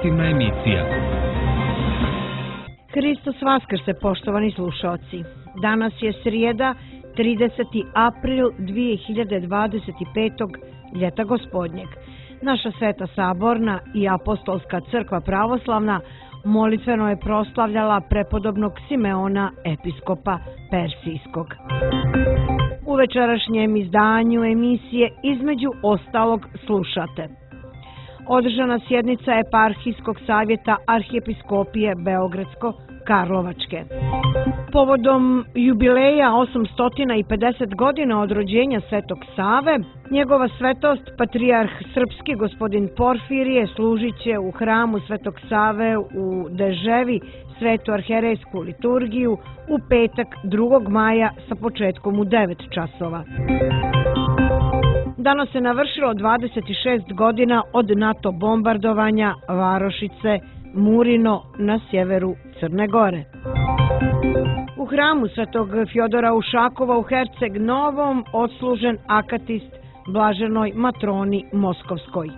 informativna emisija. Hristos Vaskrse, poštovani slušaoci. Danas je srijeda, 30. april 2025. ljeta gospodnjeg. Naša Sveta Saborna i Apostolska crkva pravoslavna molitveno je proslavljala prepodobnog Simeona, episkopa Persijskog. U večerašnjem izdanju emisije između ostalog slušate. Održana sjednica Eparhijskog savjeta Arhijepiskopije Beogradsko-Karlovačke. Povodom jubileja 850 godina od rođenja Svetog Save, njegova svetost, patrijarh srpski gospodin Porfirije, služit će u hramu Svetog Save u Deževi svetu arherejsku liturgiju u petak 2. maja sa početkom u 9 časova. Danas se navršilo 26 godina od NATO bombardovanja varošice Murino na sjeveru Crne Gore. U hramu Svetog Fjodora Ušakova u Herceg Novom odslužen akatist blaženoj matroni Moskovskoj.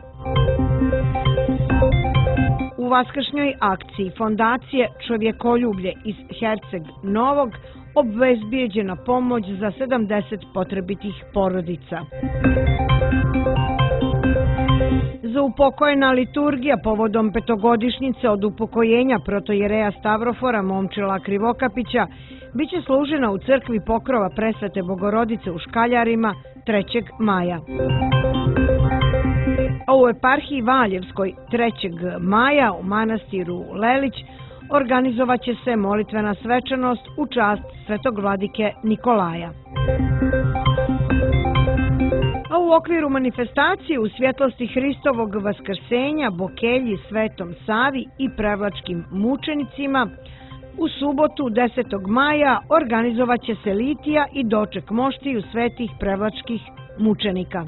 U vaskršnjoj akciji Fondacije Čovjekoljublje iz Herceg Novog obezbijeđena pomoć za 70 potrebitih porodica. Za upokojena liturgija povodom petogodišnjice od upokojenja protojereja Stavrofora Momčila Krivokapića biće služena u crkvi Pokrova Presvete Bogorodice u Škaljarima 3. maja. A u eparhiji Valjevskoj 3. maja u manastiru Lelić organizovat će se molitvena svečanost u čast svetog vladike Nikolaja. A u okviru manifestacije u svjetlosti Hristovog vaskrsenja, Bokelji, Svetom Savi i prevlačkim mučenicima u subotu 10. maja organizovat će se litija i doček moštiju svetih prevlačkih mučenika.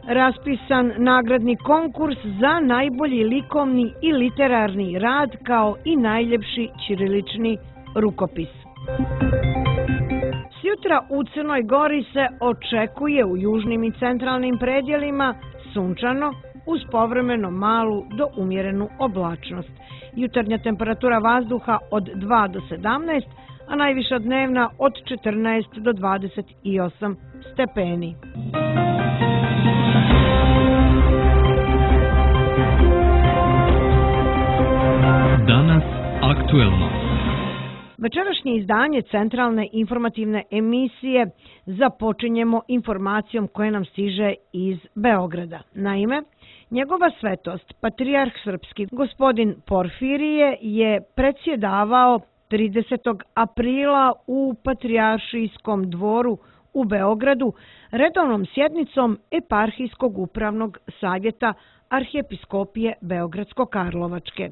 Raspisan nagradni konkurs za najbolji likovni i literarni rad kao i najljepši ćirilični rukopis. Sjutra u Crnoj Gori se očekuje u južnim i centralnim predjelima sunčano uz povremeno malu do umjerenu oblačnost. Jutarnja temperatura vazduha od 2 do 17, a najviša dnevna od 14 do 28 stepeni. Danas aktuelno. Večerašnje izdanje centralne informativne emisije započinjemo informacijom koja nam stiže iz Beograda. Naime, njegova svetost, patrijarh srpski gospodin Porfirije, je predsjedavao 30. aprila u Patrijaršijskom dvoru u Beogradu redovnom sjednicom Eparhijskog upravnog savjeta Arhijepiskopije Beogradsko-Karlovačke.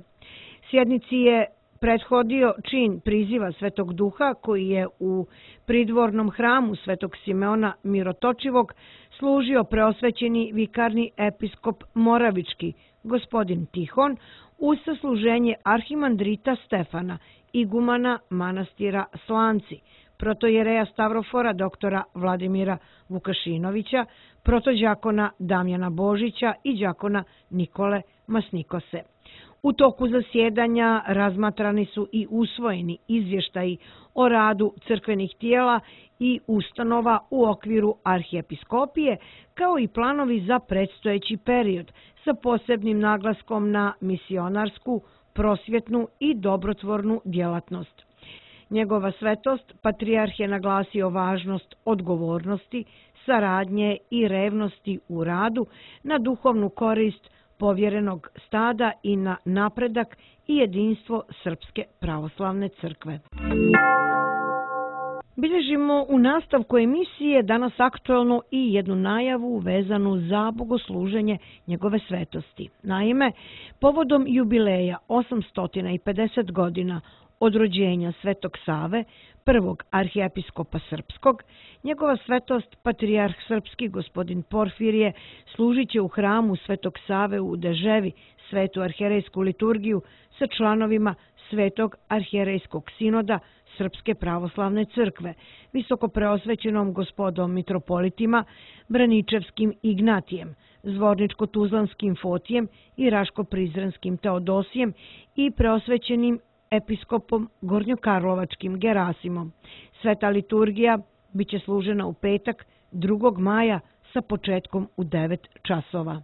Sjednici je prethodio čin priziva Svetog Duha koji je u pridvornom hramu Svetog Simeona Mirotočivog služio preosvećeni vikarni episkop Moravički, gospodin Tihon, uz sasluženje arhimandrita Stefana, igumana manastira Slanci, protojereja Stavrofora doktora Vladimira Vukašinovića, protođakona Damjana Božića i đakona Nikole Masnikose. U toku zasjedanja razmatrani su i usvojeni izvještaji o radu crkvenih tijela i ustanova u okviru arhijepiskopije, kao i planovi za predstojeći period sa posebnim naglaskom na misionarsku, prosvjetnu i dobrotvornu djelatnost. Njegova svetost, patrijarh je naglasio važnost odgovornosti, saradnje i revnosti u radu na duhovnu korist povjerenog stada i na napredak i jedinstvo Srpske pravoslavne crkve. Bilježimo u nastavku emisije danas aktuelno i jednu najavu vezanu za bogosluženje njegove svetosti. Naime, povodom jubileja 850 godina od rođenja Svetog Save, prvog arhijepiskopa srpskog, njegova svetost, patrijarh srpski gospodin Porfirije, služit će u hramu Svetog Save u Deževi svetu arherejsku liturgiju sa članovima Svetog arherejskog sinoda Srpske pravoslavne crkve, visokopreosvećenom gospodom mitropolitima Braničevskim Ignatijem, Zvorničko-Tuzlanskim Fotijem i Raško-Prizrenskim Teodosijem i preosvećenim episkopom Gornjokarlovačkim Gerasimom. Sveta liturgija biće služena u petak 2. maja sa početkom u 9 časova.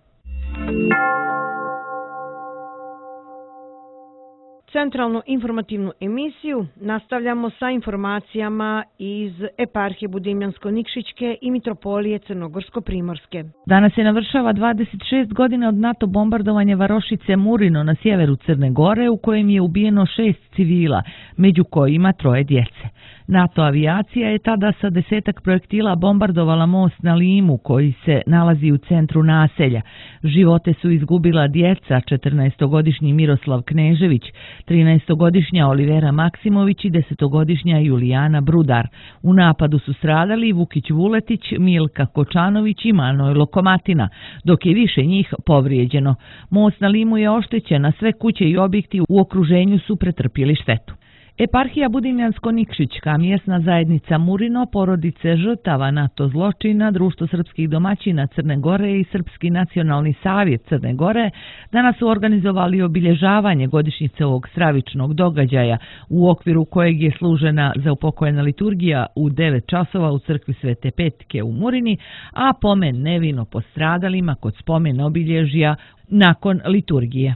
Centralnu informativnu emisiju nastavljamo sa informacijama iz eparhije Budimljansko-Nikšićke i mitropolije Crnogorsko-Primorske. Danas se navršava 26 godina od NATO bombardovanja varošice Murino na sjeveru Crne Gore, u kojem je ubijeno 6 civila, među kojima 3 djece. NATO avijacija je tada sa 10 projektila bombardovala most na Limu, koji se nalazi u centru naselja. Živote su izgubila djeca, 14-godišnji Miroslav Knežević, 13-godišnja Olivera Maksimović i 10-godišnja Julijana Brudar. U napadu su stradali Vukić Vuletić, Milka Kočanović i Manojlo Komatina, dok je više njih povrijeđeno. Most na Limu je oštećen, a sve kuće i objekti u okruženju su pretrpjeli štetu. Eparhija Budimljansko-Nikšićka, mjesna zajednica Murino, porodice žrtava NATO zločina, Društvo srpskih domaćina Crne Gore i Srpski nacionalni savjet Crne Gore danas su organizovali obilježavanje godišnjice ovog stravičnog događaja, u okviru kojeg je služena zaupokojena liturgija u 9 časova u crkvi Svete Petke u Murini, a pomen nevino postradalima kod spomen obilježja nakon liturgije.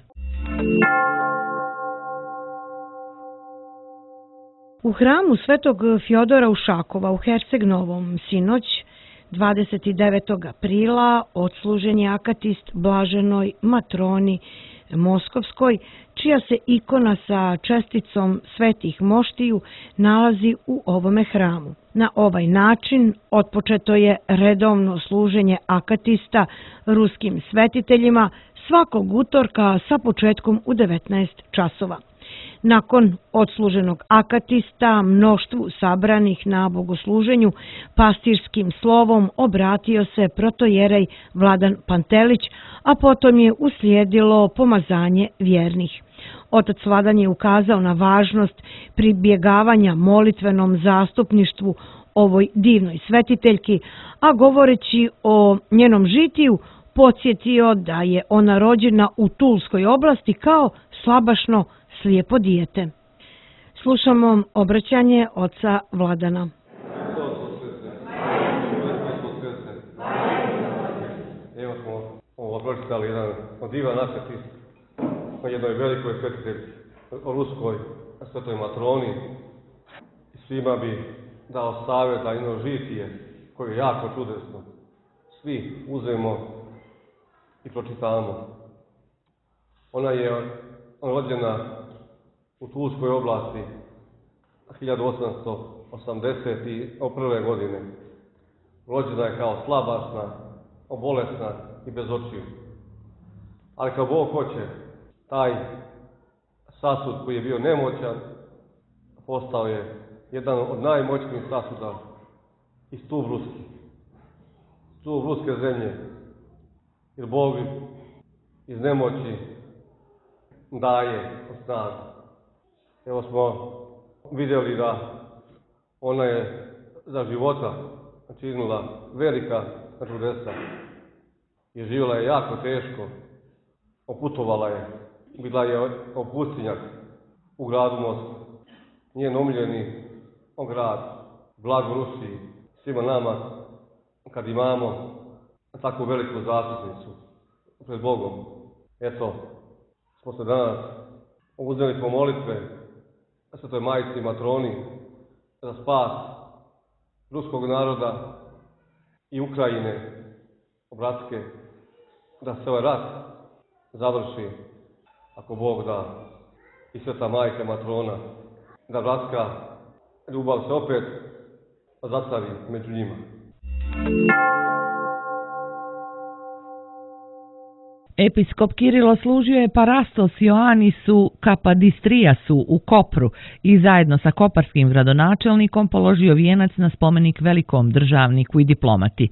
U hramu Svetog Fjodora Ušakova u Herceg Novom sinoć 29. aprila odslužen je akatist blaženoj matroni Moskovskoj, čija se ikona sa česticom svetih moštiju nalazi u ovome hramu. Na ovaj način otpočeto je redovno služenje akatista ruskim svetiteljima svakog utorka sa početkom u 19 časova. Nakon odsluženog akatista, mnoštvu sabranih na bogosluženju pastirskim slovom obratio se protojerej Vladan Pantelić, a potom je uslijedilo pomazanje vjernih. Otac Vladan je ukazao na važnost pribjegavanja molitvenom zastupništvu ovoj divnoj svetiteljki, a govoreći o njenom žitiju, podsjetio da je ona rođena u Tulskoj oblasti kao slabašno slijepo dijete. Slušamo obraćanje oca Vladana. Evo smo pročitali jedan divan akatist o jednoj velikoj svetitelji, o ruskoj svetoj matroni. Svima bi dao savjet da jedno žitije koje je jako čudesno. Svi uzmemo i pročitamo. Ona je rođena u Tulskoj oblasti 1881. godine. Rođena je kao slabašna, bolesna i bez očiju. Ali kao Bog hoće, taj sasud koji je bio nemoćan, postao je jedan od najmoćnijih sasuda i stup ruski. Stup ruske zemlje. Jer Bog iz nemoći daje snagu. Evo smo vidjeli da ona je za života činila velika čudesa i živjela je jako teško, oputovala je, bila je opustinjak u gradu Moskvi. Njen omiljeni grad, blago Rusiji, svima nama kad imamo takvu veliku zastupnicu pred Bogom. Eto, smo se danas uzeli smo molitve Svetoj Majici Matroni za spas ruskog naroda i Ukrajine, bratske, da se ovaj rat završi, ako Bog da, i Sveta Majka Matrona, da bratska ljubav se opet zastavi među njima. Episkop Kirilo služio je Parastos Ioannisu Kapadistrijasu u Kopru i zajedno sa koparskim gradonačelnikom položio vijenac na spomenik velikom državniku i diplomati.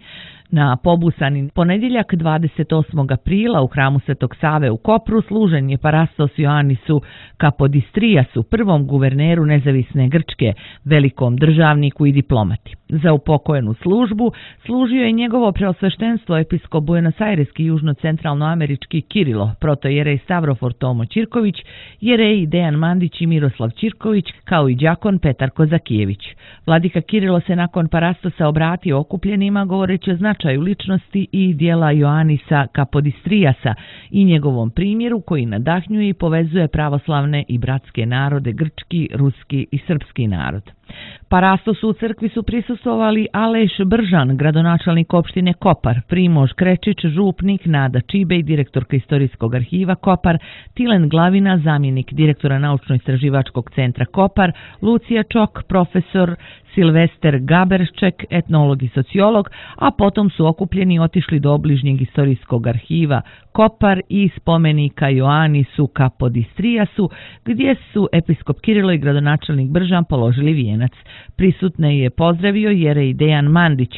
Na pobusani ponedjeljak 28. aprila u hramu Svetog Save u Kopru služen je Parastos Ioannisu Kapodistrijasu, prvom guverneru nezavisne Grčke, velikom državniku i diplomati. Za upokojenu službu služio je njegovo preosveštenstvo episkop buenosajreski južno-centralnoamerički Kirilo, protojerej Stavrofor Tomo Ćirković, jereji Dejan Mandić i Miroslav Ćirković, kao i đakon Petar Kozakijević. Vladika Kirilo se nakon Parastosa obratio okupljenima govoreći o značaju ličnosti i dijela Ioannisa Kapodistrijasa i njegovom primjeru koji nadahnjuje i povezuje pravoslavne i bratske narode, grčki, ruski i srpski narod. Parastosu u crkvi su prisustvovali Aleš Bržan, gradonačelnik opštine Kopar, Primož Krečić, župnik, Nada Čibej, direktorka Istorijskog arhiva Kopar, Tilen Glavina, zamjenik direktora Naučno-istraživačkog centra Kopar, Lucija Čok, profesor Silvester Gaberšček, etnolog i sociolog, a potom su okupljeni otišli do obližnjeg Istorijskog arhiva Kopar i spomenika Ioannisu Kapodistrijasu, gdje su episkop Kirilo i gradonačelnik Bržan položili vijenac. Prisutne je pozdravio jerej Dejan Mandić,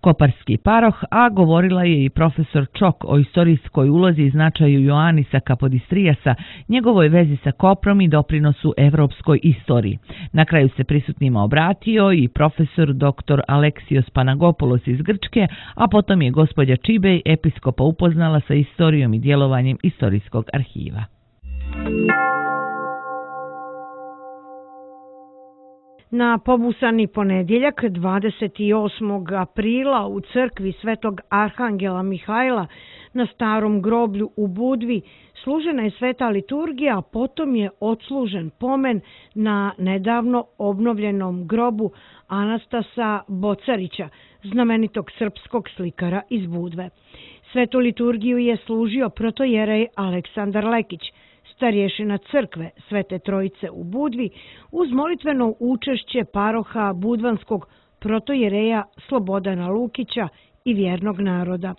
koparski paroh, a govorila je i profesor Čok o istorijskoj ulozi i značaju Ioannisa Kapodistrijasa, njegovoj vezi sa Koprom i doprinosu evropskoj istoriji. Na kraju se prisutnima obratio i profesor dr. Aleksios Panagopoulos iz Grčke, a potom je gospođa Čibej episkopa upoznala sa istorijom i djelovanjem Istorijskog arhiva. Na pobusani ponedjeljak 28. aprila u crkvi Svetog Arhangela Mihajla na starom groblju u Budvi služena je sveta liturgija, a potom je odslužen pomen na nedavno obnovljenom grobu Anastasa Bocarića, znamenitog srpskog slikara iz Budve. Svetu liturgiju je služio protojerej Aleksandar Lekić, starješina crkve Svete Trojice u Budvi, uz molitveno učešće paroha budvanskog protojereja Slobodana Lukića i vjernog naroda.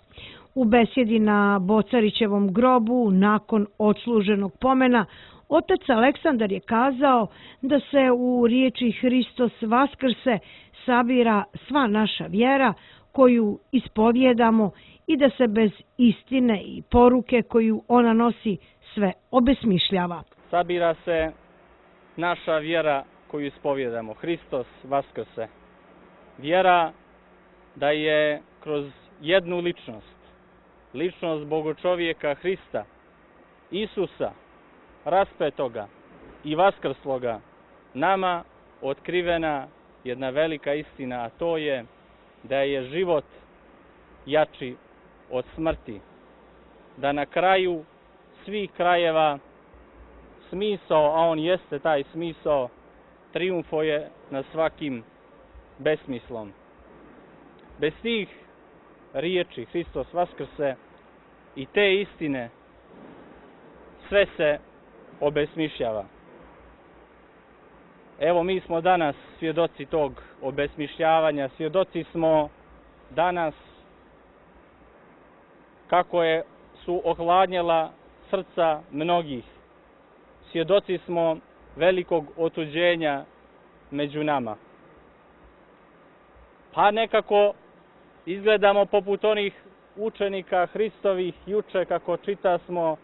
U besjedi na Bocarićevom grobu nakon odsluženog pomena otac Aleksandar je kazao da se u riječi Hristos Vaskrse sabira sva naša vjera koju ispovjedamo i da se bez istine i poruke koju ona nosi sve obesmišljava. Sabira se naša vjera koju ispovjedamo, Hristos Vaskrse. Vjera da je kroz jednu ličnost Bogočovjeka Hrista, Isusa, raspetoga i vaskrsloga, nama otkrivena jedna velika istina, a to je da je život jači od smrti. Da na kraju svih krajeva smisao, a on jeste taj smisao, trijumfuje nad svakim besmislom. Bez tih riječi Hristos Vaskrse i te istine sve se obesmišljava. Evo, mi smo danas svjedoci tog obesmišljavanja, svjedoci smo danas kako su ohladnjela srca mnogih. Svjedoci smo velikog otuđenja među nama. Pa nekako izgledamo poput onih učenika Hristovih juče, kako čitasmo,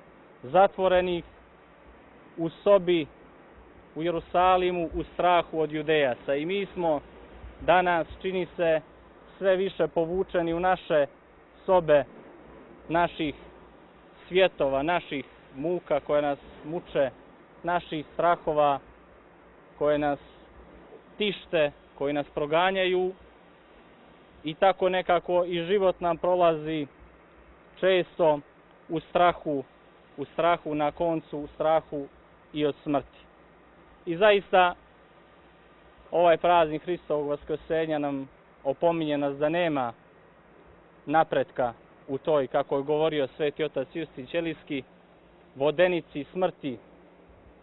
zatvorenih u sobi u Jerusalimu u strahu od Judejaca. I mi smo danas, čini se, sve više povučeni u naše sobe, naših svjetova, naših muka koje nas muče, naših strahova koje nas tište, koji nas proganjaju, i tako nekako i život nam prolazi često u strahu na koncu, u strahu i od smrti. I zaista ovaj praznik Hristovog vaskrsenja nam opominje nas da nema napretka u toj, kako je govorio sveti otac Justin Ćelijski, vodenici smrti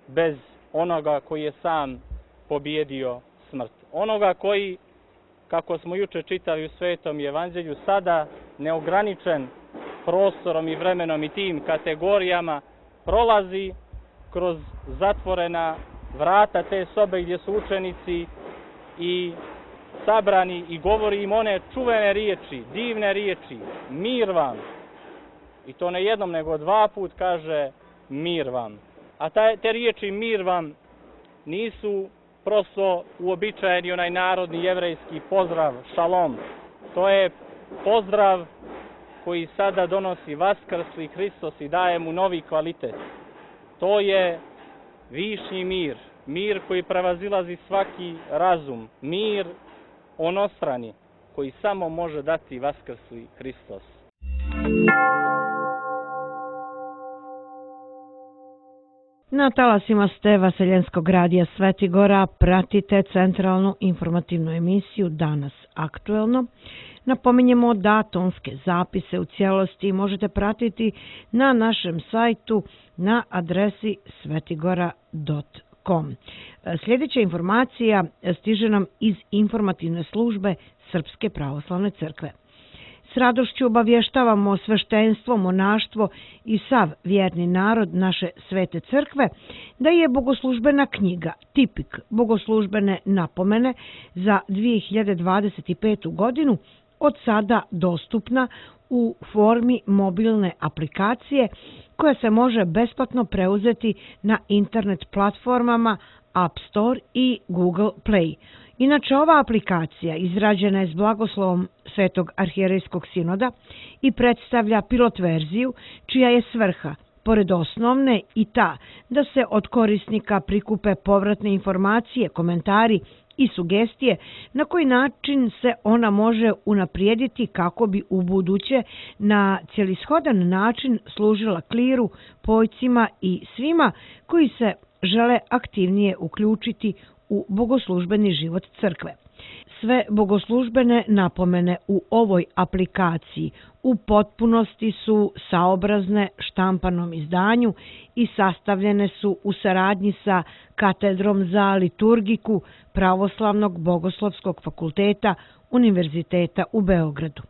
bez onoga koji je sam pobjedio smrt. Onoga koji, kako smo juče čitali u Svetom Evanđelju, sada neograničen prostorom i vremenom i tim kategorijama prolazi kroz zatvorena vrata te sobe gdje su učenici i sabrani i govori im one čuvene riječi, divne riječi, mir vam. I to ne jednom nego 2 puta kaže mir vam. A te riječi mir vam nisu prosto uobičajeni onaj narodni jevrejski pozdrav, šalom. To je pozdrav koji sada donosi vaskrsli Hristos i daje mu novi kvalitet. To je višnji mir, mir koji prevazilazi svaki razum, mir onostrani koji samo može dati vaskrsli Hristos. Na talasima ste Vaseljenskog radija Svetigora pratite centralnu informativnu emisiju Danas aktuelno. Napominjemo da tonske zapise u cijelosti možete pratiti na našem sajtu na adresi svetigora.com. Sljedeća informacija stiže nam iz informativne službe Srpske pravoslavne crkve. S radošću obavještavamo sveštenstvo, monaštvo i sav vjerni narod naše svete crkve da je bogoslužbena knjiga Tipik bogoslužbene napomene za 2025. godinu od sada dostupna u formi mobilne aplikacije koja se može besplatno preuzeti na internet platformama App Store i Google Play. Inače, ova aplikacija izrađena je s blagoslovom Svetog arhijerejskog sinoda i predstavlja pilot verziju čija je svrha, pored osnovne, i ta da se od korisnika prikupe povratne informacije, komentari i sugestije na koji način se ona može unaprijediti kako bi u buduće na celishodan način služila kliru, pojcima i svima koji se žele aktivnije uključiti u bogoslužbeni život crkve. Sve bogoslužbene napomene u ovoj aplikaciji u potpunosti su saobrazne štampanom izdanju i sastavljene su u saradnji sa Katedrom za liturgiku Pravoslavnog bogoslovskog fakulteta Univerziteta u Beogradu.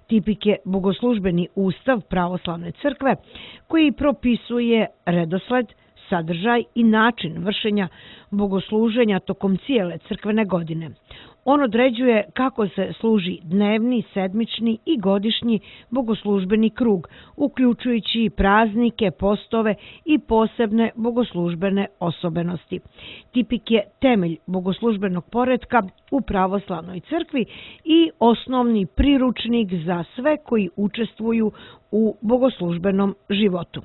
Tipik je bogoslužbeni ustav Pravoslavne crkve koji propisuje redosled, sadržaj i način vršenja bogosluženja tokom cijele crkvene godine. On određuje kako se služi dnevni, sedmični i godišnji bogoslužbeni krug, uključujući praznike, postove i posebne bogoslužbene osobenosti. Tipik je temelj bogoslužbenog poretka u pravoslavnoj crkvi i osnovni priručnik za sve koji učestvuju u bogoslužbenom životu.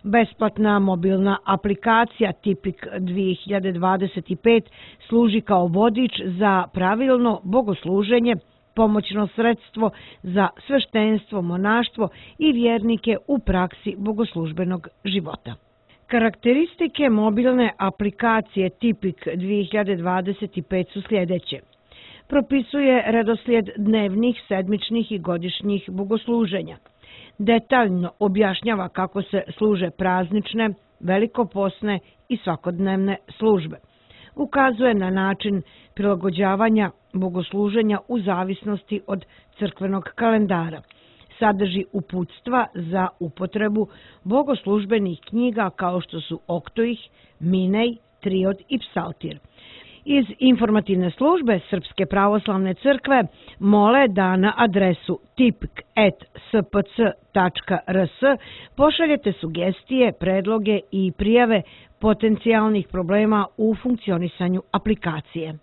Besplatna mobilna aplikacija Tipik 2025 služi kao vodič za pravilno bogosluženje, pomoćno sredstvo za sveštenstvo, monaštvo i vjernike u praksi bogoslužbenog života. Karakteristike mobilne aplikacije Tipik 2025 su sljedeće. Propisuje redoslijed dnevnih, sedmičnih i godišnjih bogosluženja. Detaljno objašnjava kako se služe praznične, velikoposne i svakodnevne službe. Ukazuje na način prilagođavanja bogosluženja u zavisnosti od crkvenog kalendara. Sadrži uputstva za upotrebu bogoslužbenih knjiga kao što su Oktoih, Minej, Triod i Psaltir. Iz informativne službe Srpske pravoslavne crkve mole da na adresu tipik@spc.rs pošaljete sugestije, predloge i prijave potencijalnih problema u funkcionisanju aplikacije.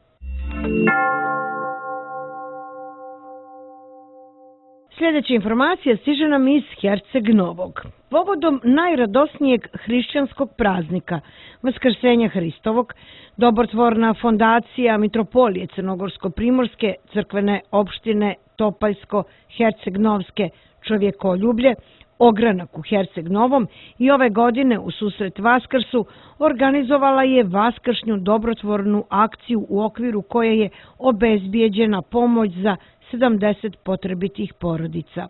Sljedeća informacija stiže nam iz Herceg Novog. Povodom najradosnijeg hrišćanskog praznika, Vaskrsenja Hristovog, dobrotvorna fondacija Mitropolije Crnogorsko-Primorske crkvene opštine Topaljsko-Herceg-Novske čovjekoljublje, Ogranak u Herceg Novom i ove godine u susret Vaskrsu organizovala je vaskršnju dobrotvornu akciju u okviru koje je obezbijeđena pomoć za 70 potrebitih porodica.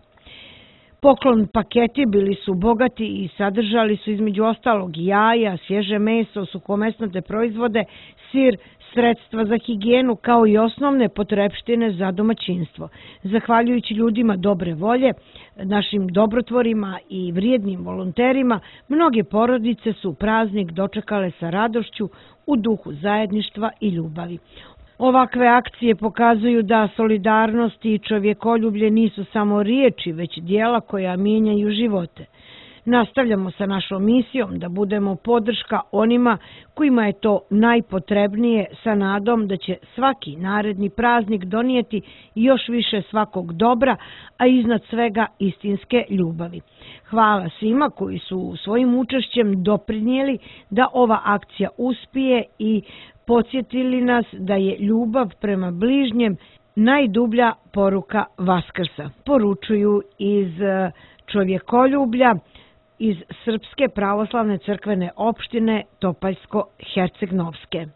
Poklon paketi bili su bogati i sadržali su između ostalog jaja, svježe meso, suhomesnate proizvode, sir, sredstva za higijenu kao i osnovne potrepštine za domaćinstvo. Zahvaljujući ljudima dobre volje, našim dobrotvorima i vrijednim volonterima, mnoge porodice su praznik dočekale sa radošću u duhu zajedništva i ljubavi. Ovakve akcije pokazuju da solidarnost i čovjekoljublje nisu samo riječi, već dijela koja mijenjaju živote. Nastavljamo sa našom misijom da budemo podrška onima kojima je to najpotrebnije, sa nadom da će svaki naredni praznik donijeti još više svakog dobra, a iznad svega istinske ljubavi. Hvala svima koji su svojim učešćem doprinijeli da ova akcija uspije i podsjetili nas da je ljubav prema bližnjem najdublja poruka Vaskrsa. Poručuju iz čovjekoljublja iz Srpske pravoslavne crkvene opštine Topaljsko-Hercegnovske.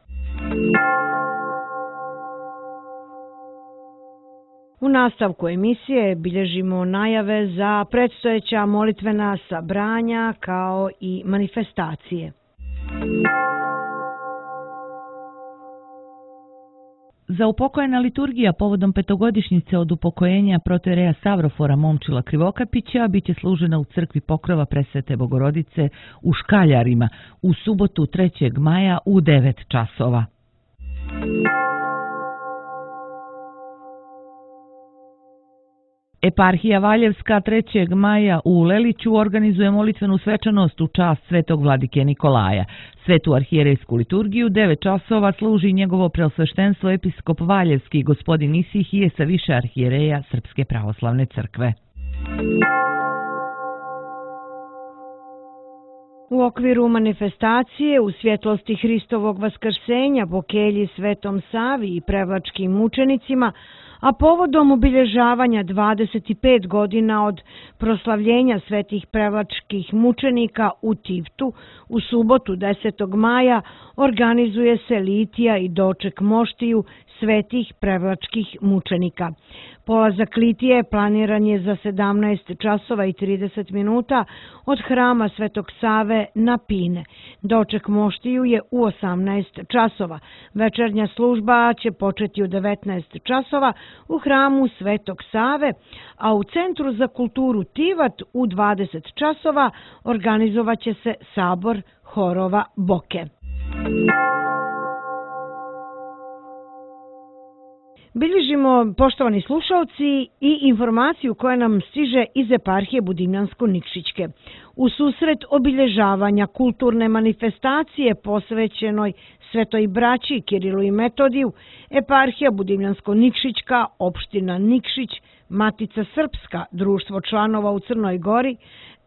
U nastavku emisije bilježimo najave za predstojeća molitvena sabranja kao i manifestacije. Za upokojena liturgija povodom petogodišnjice od upokojenja protoijereja Savrofora Momčila Krivokapića biće služena u crkvi Pokrova Presvete Bogorodice u Škaljarima u subotu 3. maja u 9 časova. Eparhija Valjevska 3. maja u Leliću organizuje molitvenu svečanost u čast svetog vladike Nikolaja. Svetu arhijerejsku liturgiju 9 časova služi njegovo preosveštenstvo episkop Valjevski gospodin Isihije sa više arhijereja Srpske pravoslavne crkve. U okviru manifestacije u svjetlosti Hristovog vaskrsenja po kelji Svetom Savi i prevlačkim mučenicima, a povodom obilježavanja 25 godina od proslavljenja svetih prevlačkih mučenika u Tivtu, u subotu 10. maja organizuje se litija i doček moštiju svetih prevlačkih mučenika. Polazak litije planiran je za 17 časova i 30 minuta od hrama Svetog Save na Pine. Doček moštiju je u 18 časova. Večernja služba će početi u 19 časova u hramu Svetog Save, a u Centru za kulturu Tivat u 20 časova organizovat će se sabor horova Boke. Bilježimo, poštovani slušalci, i informaciju koja nam stiže iz eparhije Budimljansko-Nikšićke. U susret obilježavanja kulturne manifestacije posvećenoj Svetoj braći Kirilu i Metodiju, eparhija Budimljansko-Nikšićka, opština Nikšić, Matica Srpska, društvo članova u Crnoj Gori,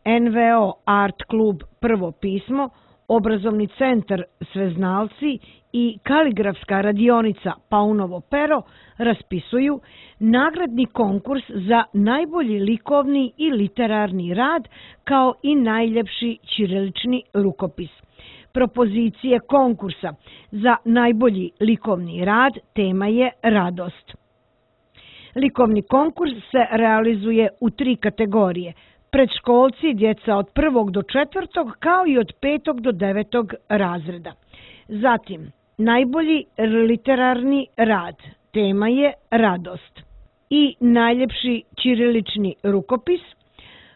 NVO Art klub Prvo pismo, obrazovni centar Sveznalci i kaligrafska radionica Paunovo pero raspisuju nagradni konkurs za najbolji likovni i literarni rad kao i najljepši ćirilični rukopis. Propozicije konkursa za najbolji likovni rad tema je radost. Likovni konkurs se realizuje u 3 kategorije: predškolci, djeca od 1. do 4. kao i od 5. do 9. razreda. Zatim, najbolji literarni rad, tema je radost. I najljepši ćirilični rukopis.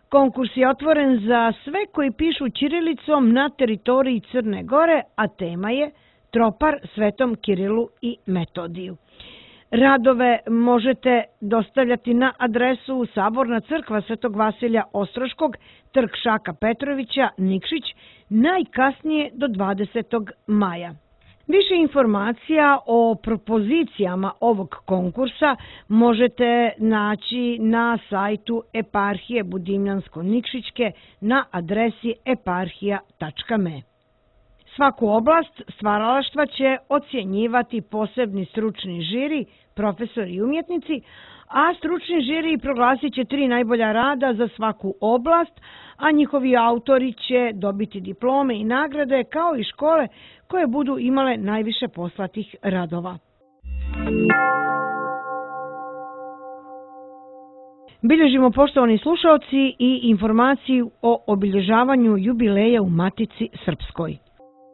Konkurs je otvoren za sve koji pišu ćirilicom na teritoriji Crne Gore, a tema je Tropar Svetom Kirilu i Metodiju. Radove možete dostavljati na adresu Saborna crkva Svetog Vasilja Ostroškog, trg Šaka Petrovića, Nikšić, najkasnije do 20. maja. Više informacija o propozicijama ovog konkursa možete naći na sajtu eparhije Budimljansko-Nikšićke na adresi eparhija.me. Svaku oblast stvaralaštva će ocjenjivati posebni stručni žiri, profesori i umjetnici, a stručni žiri proglasit će 3 najbolja rada za svaku oblast, a njihovi autori će dobiti diplome i nagrade kao i škole koje budu imale najviše poslatih radova. Bilježimo, poštovani slušalci, i informaciju o obilježavanju jubileja u Matici Srpskoj.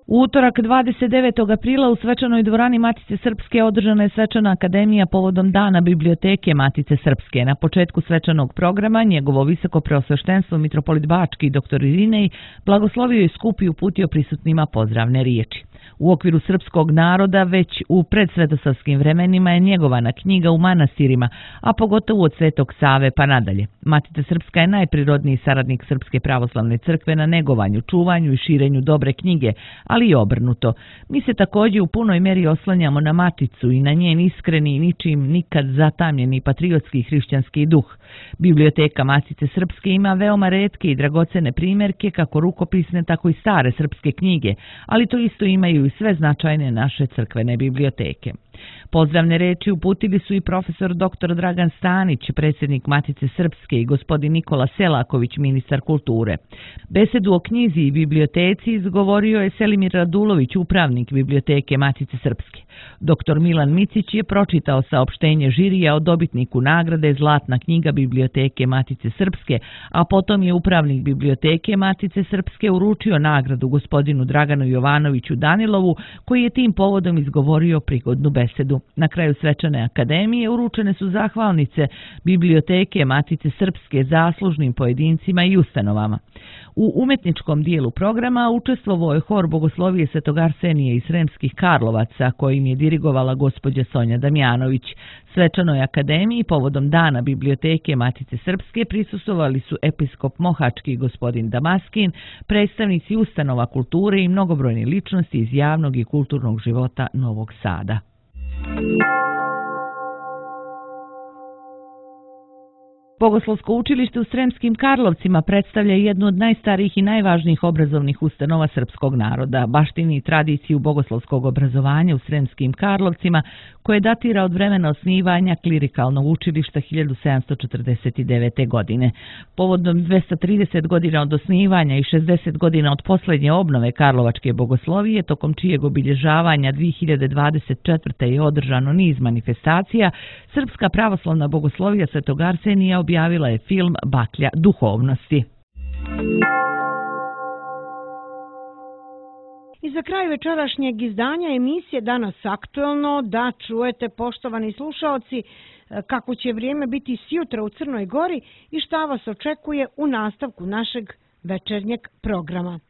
U utorak 29. aprila u svečanoj dvorani Matice Srpske održana je svečana akademija povodom Dana biblioteke Matice Srpske. Na početku svečanog programa njegovo visoko preosveštenstvo mitropolit Bački dr. Irinej blagoslovio je skup i uputio prisutnima pozdravne riječi. U okviru srpskog naroda već u predsvetosavskim vremenima je njegovana knjiga u manastirima, a pogotovo od Svetog Save pa nadalje. Matica Srpska je najprirodniji saradnik Srpske pravoslavne crkve na negovanju, čuvanju i širenju dobre knjige, ali i obrnuto. Mi se također u punoj meri oslanjamo na Maticu i na njen iskreni i ničim nikad zatamljeni patriotski hrišćanski duh. Biblioteka Matice Srpske ima veoma retke i dragocene primjerke, kako rukopisne, tako i stare srpske knjige, ali to isto imaju i sve značajne naše crkvene biblioteke. Pozdravne reči uputili su i profesor dr. Dragan Stanić, predsjednik Matice Srpske, i gospodin Nikola Selaković, ministar kulture. Besedu o knjizi i biblioteci izgovorio je Selimir Radulović, upravnik biblioteke Matice Srpske. Dr. Milan Micić je pročitao saopštenje žirija o dobitniku nagrade Zlatna knjiga biblioteke Matice Srpske, a potom je upravnik biblioteke Matice Srpske uručio nagradu gospodinu Draganu Jovanoviću Danilovu, koji je tim povodom izgovorio prigodnu besedu. Na kraju svečane akademije uručene su zahvalnice biblioteke Matice Srpske zaslužnim pojedincima i ustanovama. U umetničkom dijelu programa učestvovao je hor Bogoslovije Svetog Arsenije iz Sremskih Karlovaca, kojim je dirigovala gospođa Sonja Damjanović. Svečanoj akademiji povodom Dana biblioteke Matice Srpske prisustvovali su episkop Mohački gospodin Damaskin, predstavnici ustanova kulture i mnogobrojne ličnosti iz javnog i kulturnog života Novog Sada. Bogoslovsko učilište u Sremskim Karlovcima predstavlja jednu od najstarijih i najvažnijih obrazovnih ustanova srpskog naroda, baštini i tradiciju bogoslovskog obrazovanja u Sremskim Karlovcima, koje datira od vremena osnivanja klirikalnog učilišta 1749. godine. Povodom 230 godina od osnivanja i 60 godina od posljednje obnove Karlovačke bogoslovije, tokom čijeg obilježavanja 2024. je održano niz manifestacija, Srpska pravoslavna bogoslovija Svetog Arsenija objavila je film Baklja duhovnosti. I za kraj večerašnjeg izdanja emisije Danas aktuelno da čujete, poštovani slušaoci, kako će vrijeme biti sjutra u Crnoj Gori i šta vas očekuje u nastavku našeg večernjeg programa.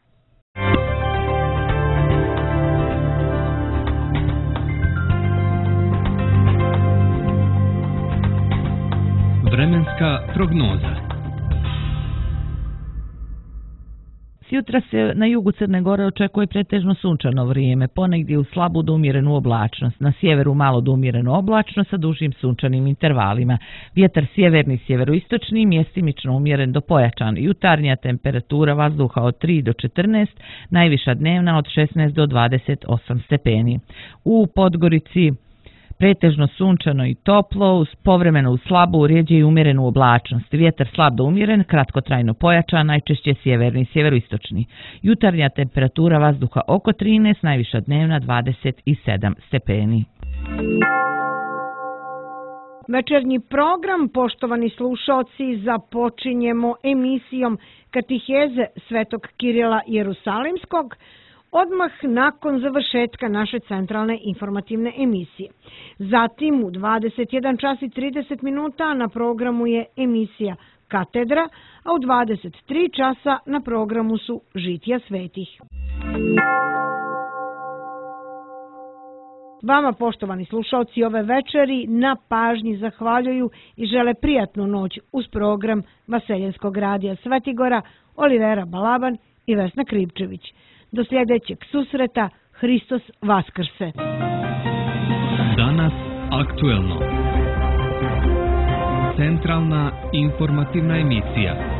Vremenska prognoza. Sjutra se na jugu Crne Gore očekuje pretežno sunčano vrijeme, ponegdje u slabu do umjerenu oblačnost, na sjeveru malo do umjerenu oblačnost sa dužim sunčanim intervalima. Vjetar sjeverni sjeveroistočni, mjestimično umjeren do pojačan. Jutarnja temperatura vazduha od 3 do 14, najviša dnevna od 16 do 28 stepeni. U Podgorici pretežno sunčano i toplo, uz povremeno u slabu, rjeđe i umjerenu oblačnost. Vjetar slab do umjeren, kratkotrajno pojačan, najčešće sjeverni sjeveroistočni. Jutarnja temperatura vazduha oko 13, najviša dnevna 27 stepeni. Večernji program, poštovani slušaoci, započinjemo emisijom Katiheze Svetog Kirila Jerusalimskog, odmah nakon završetka naše centralne informativne emisije. Zatim u 21 čas i 30 minuta na programu je emisija Katedra, a u 23 časa na programu su Žitija svetih. Vama, poštovani slušalci, ove večeri na pažnji zahvaljuju i žele prijatnu noć uz program Vaseljenskog radija Svetigora, Olivera Balaban i Vesna Kripčević. Do sljedećeg susreta, Hristos Vaskrse. Danas aktuelno. Centralna informativna emisija.